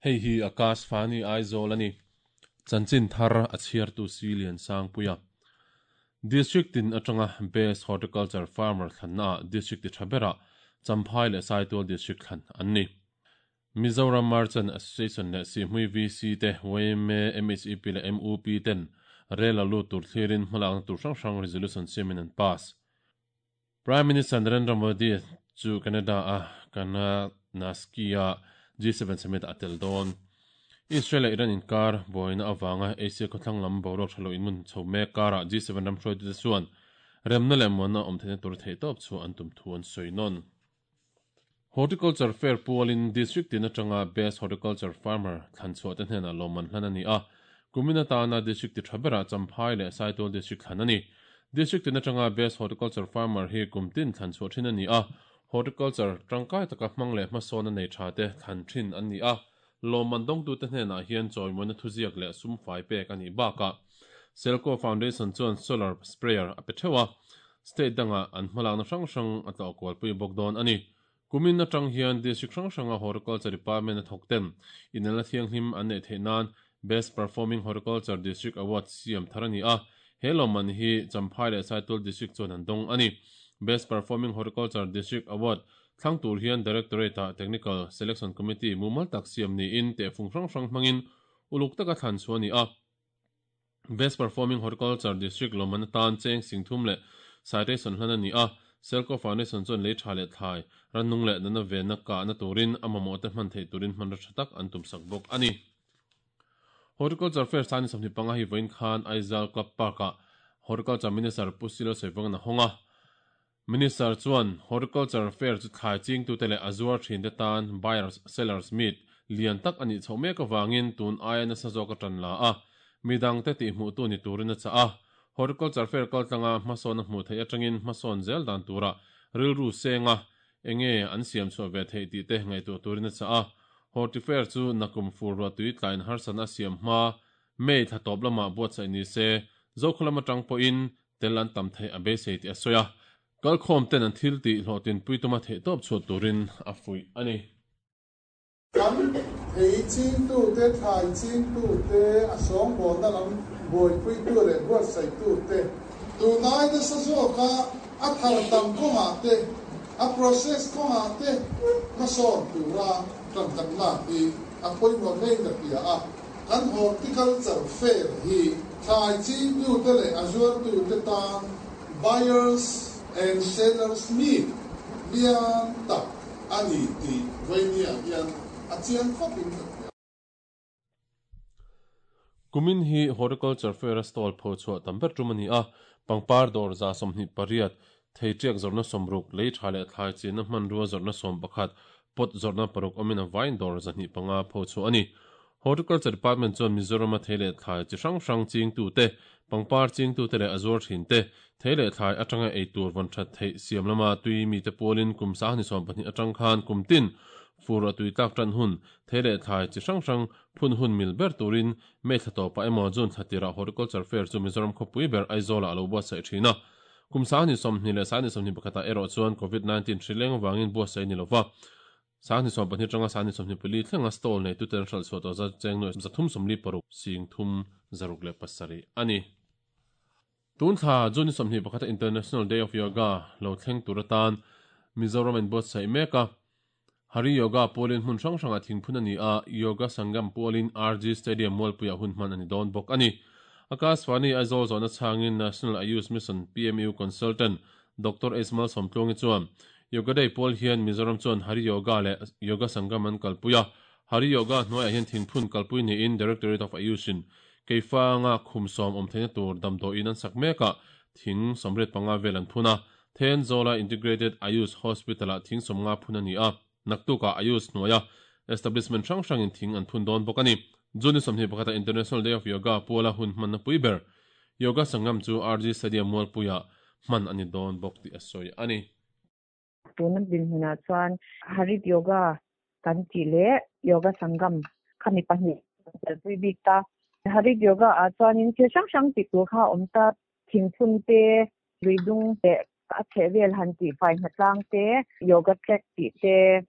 Hei hi Akash Fani Aizawl a ni. Chanchin thar a chhiartu si Liansangpuia. District tin atanga Best Horticulture Farmer thlannaah District ti tha berah Champhai leh Saitual District thlan an ni. Mizoram Merchant Association leh Sihhmui VC te, yma, MHEP leh MUP ten rel a lut tur thlirin hmalakna tur hrang hrang resolution siamin an pass. Prime Minister Narendra Modi chu Canada a Kananaski-a G7 summit ah a tel dawn. Israel leh Iran inkar buaina avanga Asia khawthlang lam boruak tha lo inmun chho mek karah G7 ram hruaitute chuan remna leh muanna awm theihna tur theihtawp chu an tum thu an sawi nawn. Horticulture Fair pualin District tin atanga Best Horticulture Farmer thlan chhuah te hnenah lawmman hlan a ni a, kumin atana District ti tha berah Champhai leh Saitual District thlan a ni. District tin atanga Best Horticulture Farmer hi kum tin thlan chhuah thin a ni a, Horticulture tangkai taka hmang leh hmasawn a nei tha te thlan thin an ni a, lawmman dawngtute hnenah hian chawimawina thuziak leh sum fai pek a nih bakah Selco Foundation chuan Solar Sprayer a pe theuh a, State dangah an hmalakna hrang hrang a tlawh kualpui bawk dawn a ni. Kumin atang hian District hrang hranga Horticulture Department a thawk ten inelna thianghlim an neih theih nan Best Performing Horticulture District Award siam thar a ni a, he lawmman hi Champhai leh Saitual District chuan an dawng a ni. Best Performing Horticulture District Award Thlang tur hian Directorate-ah Technical Selection Committee mumal tak siam niin tehfung hrang hrang hmangin uluk taka thlan chhuah a ni a. Best Performing Horticulture District lawmman atan cheng sing thum leh citation hlan a ni a. Selco Foundation chuan lei tha leh thlai, rannung leh nana venna kahna turin a mamawhte hman theih turin hmanraw tha tak an tumsak bawk a ni. Horticulture Fair Sani 25 hi vawiin khan Aizawl Club Park-ah Horticulture Minister Pu Silo Sawivangan a hawng a. Minister chuan Horticulture Fair chu thlai chingtute leh a zuar thinte tan Buyers Sellers Meet lian tak a nih chhoh mek avangin tun aia nasa zawk a tan la a, midangte tihhmuhtu ni turin a chah a. Horticulture Fair kaltlanga hmasawn a hmuh theih atangin hmasawn zel dan tura rilru senga enge an siam chhuah ve theih tih te ngaihtuah turin a chah a. Horti Fair chu nakum fur ruahtui tlain harsatna a siam hma May thla tawp lamah buatsaih ni se, Zokhaw lam atang pawhin tel an tam theih a beisei tih a sawi a, kalkhawm ten an thil tih hlawhtinpui tuma theihtawp chhuah turin a fuih a ni. Kan thei chingtute, thlai chingtute, a sawngbawlna lam buaipuitu leh buatsaihtute, tunai nasa zawka a thar tam kawngah te, a process kawngah te hmasawn tura tan kan lak hi a pawimawh hlein ka hria a. Kan horticulture fair hi thlai chingtute leh a zuartute tan buyers and sellers meet lian tak a ni tih vawinia hian a chiang khawpin ka hria. Kumin hi Horticulture Fair-a stall pho chhuah tam ber tum a ni a, pangpar dawr 28, thei tiak zawrhna 60, lei tha leh thlai chinna hmanrua zawrhna 11, pot zawrhna paruk awmin a vain dawr 205 pho chhuah a ni. Horticulture Department chuan Mizoram-a thei leh thlai chi hrang hrang chingtute, pangpar chingtute leh a zuar thinte, thei leh thlai atanga ei tur vawn that theih siam lama tui mite pualin kum 20 atang khan kum tin fur a tui tlak tan hun, thei leh thlai chi hrang hrang phun hun mil ber turin May thla tawpah emaw June thla tirah Horticulture Fair chu Mizoram khawpui ber Aizawlah a lo buatsaih thin a. Kum 20 leh 21 ah erawh chuan Covid 19 hri leng avangin buatsaih a ni lova. 20 pahnih atanga 24 thlenga stall neitute an hralh chhuah tawh zat cheng nuai 346 sing thum zaruk leh pasarih a ni. Tun thla June 21 a International Day of Yoga lo thleng tur atan Mizoram a inbuatsaih mek a. Hari Yoga pualin hmun hrang hrangah thingphun a ni a, Yoga Sangam pualin RG Stadium mualpuiah hun hman a ni dawn bawk a ni. Akashvani Aizawl zawhna chhangin National Ayush Mission PMU Consultant Doctor H Malsawmtluangi chuan Yoga Day pual hian Mizoram chuan Hari Yoga leh Yoga Sangam an kalpui a, Hari Yoga hnuaiah hian thingphun kalpui niin Directorate of Ayush-in Keifanga khum sawm awm theihna tur damdawiin an sak mekah thing 85 vel an phun a, Thenzawl-a Integrated Ayush Hospital-ah thing 50 phun a ni a, naktukah Ayush hnuaia establishment hrang hrangin thing an phun dawn bawk a ni. June 21-ah International Day of Yoga puala hun hmanna pui ber Yoga Sangam chu RG Stadium Mualpuiah hman a ni dawn bawk tih a sawi a ni. Tuna dinhmunah chuan Harit Yoga kan tih leh Yoga Sangam khami pahnih kan telpui bik ta. Harit Yoga ah chuanin thil hrang hrang tih tur kha a awm ta, thingphun te, luidung leh a chheh vel han tih fai hnatlang te, yoga track tih te,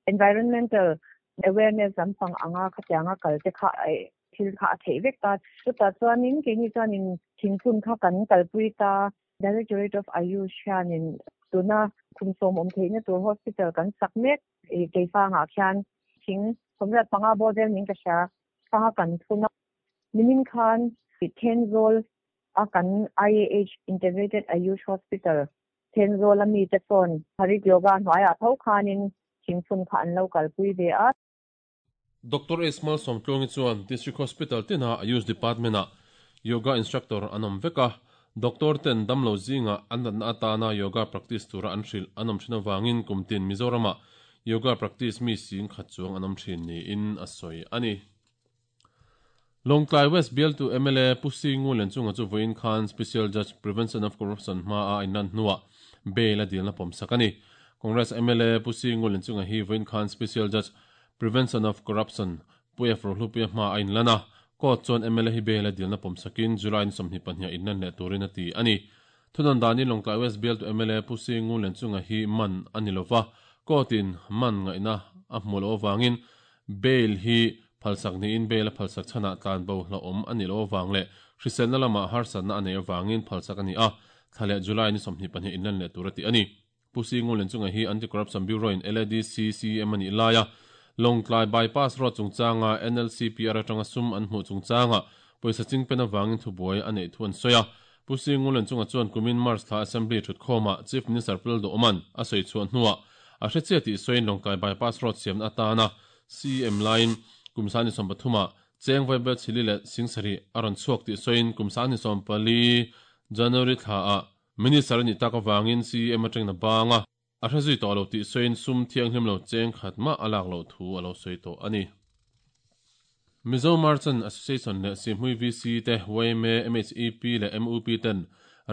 environmental. Awareness lampang anga khatianga kal te kha thil kha a theih vek ta. Chutah chuanin keini chuanin thingphun kha kan kalpui ta. Directorate of Ayush hianin tuna kum sawm awm theihna tur hospital kan sak mek Keifangah khian thing 85 bawr vel niin ka hria kha kan phun a. Nimin khan Thenzawl a kan IAH Integrated Ayush Hospital Thenzawl a mite sawn Harit Yoga hnuaiah tho khanin thingphun kha an lo kalpui ve a. Doctor S. Malsawmtluangi chuan District Hospital tina Ayush Department-ah Yoga Instructor an awm vek a, Doctor ten damlo zingah an natna atana Yoga practice tura an hrilh an awm thin avangin kum tin Mizoramah Yoga practice mi sing khat chuang an awm thin niin a sawi a ni. Lawngtlai West bialtu mla Pu Singu Lenchunga chu vawiin khan Special Judge Prevention of Corruption hmaa a inlan hnuah bail a dilna pawmsak a ni. Congress mla Pu Singu Lenchunga hi vawiin khan Special Judge Prevention of Corruption Pu F Rohlupuia hmaa a inlan a, court chuan mla hi bail a dilna pawmsakin July ni 22 ah inlan leh turin a ti a ni. Thunawn danin Lawngtlai West bialtu mla Pu Singu Lenchunga hi man a ni lova, court in man ngaihna a hmuh loh avangin Bail hi phalsak niin bail a phalsak chhanah tlan bo hlauhawm a nih loh avang leh hriselna lamah harsatna a neih avangin phalsak a ni a, thla leh July ni 22 inlan leh tur a ti a ni. Pu Singulen chunga hi Anti-Corruption Bureau-in LADC CM a nih laia Lawngtlai Bypass Road chungchanga NLCPR atanga sum an hmuh chungchanga pawisa chingpen avangin thubuai a neih thu an sawi a. Pu Singulen chunga chuan kumin March thla Assembly thutkhawmah Chief Minister Pu Lalduhawma'n a sawi chhuah hnuah A hre chiah tih sawiin Lawngtlai Bypass Road siamna atana CM laiin kum 2013 ah Cheng Vaibel Chili leh Singsarih a rawn chhuak tih sawiin kum 2014 January thla ah Minister a nih tak avangin CM atangin a bang a, a hre zui tawh lo tih sawiin sum thianghlim lo cheng khat mah a lak loh thu a lo sawi tawh a ni. Mizo Merchant Association leh Sihhmui VC te, yma, MHEP leh MUP ten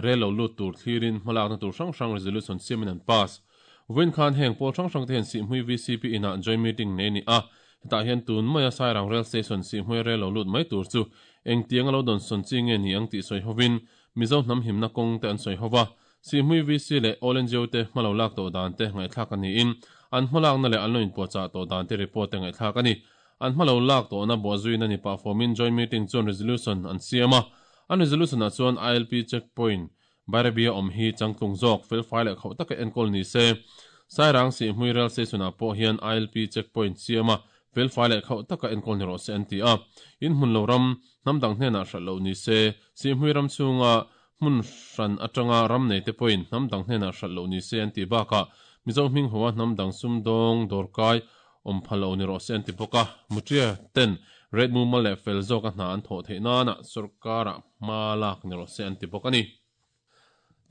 rel lo lut tur thlirin hmalakna tur hrang hrang resolution siamin an pass. Vawiin khan heng pawl hrang hrang te hian Sihhmui VCP inah joint meeting nei a ni a, hetah hian tun maia Sairang Rail Station Sihhmui rel lo lut mai tur chu engtiang a lo dawnsawn chi nge ni ang tih sawi hovin Mizo hnam himna kawng te an sawi hova, Sihhmui VC leh All NGO te hma lo lak tawh dan te ngaihthlak a niin an hmalakna leh an lo inpuahchah tawh dan te report te ngaihthlak a ni. An hma lo lak tawhna buahzuina ni pah fawmin Joint Meeting chuan resolution an siam a. An resolution-ah chuan ILP checkpoint Bairabia awm hi changtlung zawk, felfai leh khauh taka enkawl ni se. Sairang Sihhmui Rail Station-ah pawh hian ILP checkpoint siam a, felfai leh khauh taka enkawl ni rawh se an ti a. In hmun lo ram, hnam dang hnenah hralh loh ni se, Sihhmui ram chhunga hmun hran atanga ram neite pawhin hnam dang hnenah hralh loh ni se an tih bakah Mizo hming hoa hnam dang sumdawng dawrkai awm phal lo ni rawh se an ti bawk a. Mutria ten rate mumal leh fel zawka hna an thawh theih nana sorkarah hma lak ni rawh se an ti bawk a ni.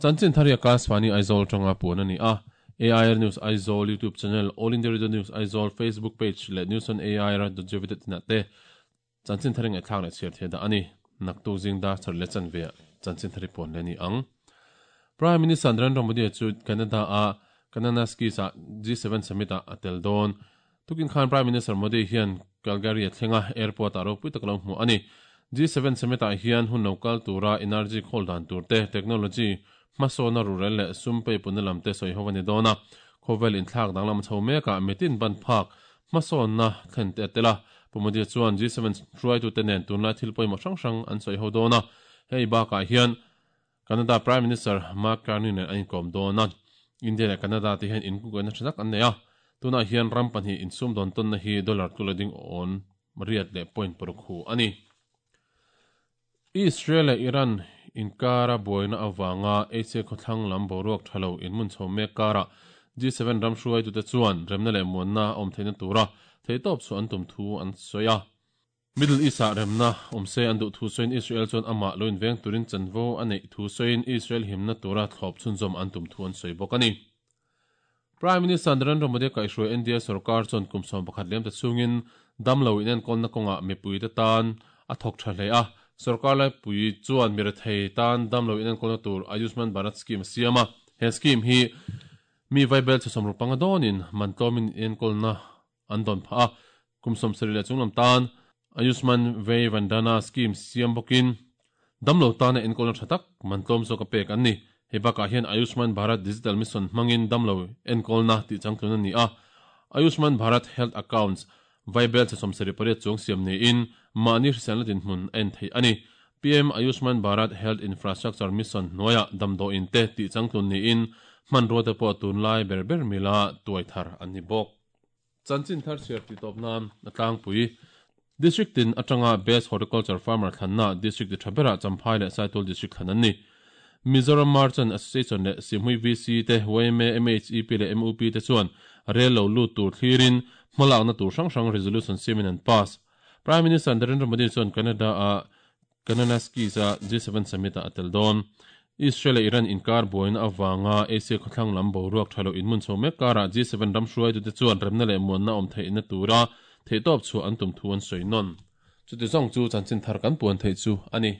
Chanchin Tharia Kasvani Aizawl atanga puan a ni a. AIR News Aizawl YouTube channel, All India Radio News Aizawl Facebook page leh News on AIR dot gov dot in ah te Chanchin thar i ngaihthlak leh chhiar thei dah a ni. Naktuk zing dar char leh chanve ah chanchin thar i puan leh a ni ang. Prime Minister Narendra Modi chu Canada a Kananaskis ah G7 Summit ah a tel dawn. Tukin khan Prime Minister Modi hian Calgary a thleng a, airport ah ropui tak a lo hmu a ni. G7 Summit ah hian hun lo kal tura energy khawl dan tur te, technology hmasawna rurel leh sum peipunna lam te sawi ho a ni dawn a. Khawvel inthlak danglam chho mekah mitin ban phak Hmasawnna thlen te a tel a, Pu Modi chuan G7 hruaitute nen tunlai thil pawimawh hrang hrang an sawi ho dawn a, hei bakah hian Canada Prime Minister Mark Carney nen an inkawm dawn a, India leh Canada te hian inkungkaihna tha tak an nei a, tunah hian ram pahnih insum dawn tawnna hi dollar tula ding awn riat leh point paruk hu a ni. Israel leh Iran inkara buaina avanga Asia khawthlang lam boruak tha lo inhmun chho mek karah G7 ram hruaitute chuan remna leh muanna a awm theihna tura theihtawp chhuah an tum thu an sawi a. Middle East-ah remna awm se an duh thu sawiin Israel chuan amah lo inveng turin chanvo a neih thu sawiin Israel himna tura thlawp chhunzawm an tum thu an sawi bawk a ni. Prime Minister Narendra Modi kaihhruai India sorkar chuan kum 11 liam ta chhungin damlo inenkawlna kawngah mipuite tan a thawk tha hle a. Sorkar laipui chuan mi rethei tan damlo inenkawlna tur Ayushman Bharat Scheme a siam a. He scheme hi mi vaibel chhe 65 dawnin man tlawmin inenkawlna an dawn phah a. Kum 70 leh chunglam tan Ayushman Vay Vandana Scheme siam bawkin Damlo tana enkawlna tha tak man tlawm zawk a pek an ni. Hei bakah hian Ayushman Bharat Digital Mission hmangin damlo enkawlna tih changtlun a ni a. Ayushman Bharat Health Accounts, Vaibelchhe 78 chuang siam niin mahni hriselna dinhmun a en theih a ni. PM Ayushman Bharat Health Infrastructure Mission hnuaiah damdawiin te tih changtlun niin hmanrua te pawh tunlai ber ber mila tuai thar an ni bawk. Chanchin thar chhiar tih tawp nan a tlangpui. District tin atanga Best Horticulture Farmer thlanna District ti tha berah Champhai leh Saitul District thlan an ni. Mizoram Merchant Association leh Sihhmui VC te, yma, MHEP leh MUP te chuan rel lo lut tur thlirin hmalakna tur hrang hrang resolution siamin an pass. Prime Minister Narendra Modi chuan Canada-a Kananaskis-a G7 Summit-ah a tel dawn. Israel leh Iran inkar buaina avanga Asia khawthlang lam boruak tha lo inhmun chho mek karah G7 ram hruaitute chuan remna leh muanna awm theihna tura theihtawp chhuah an tum thu an sawi nawn. Chuti zawng chu chanchin thar kan puan theih chu a ni.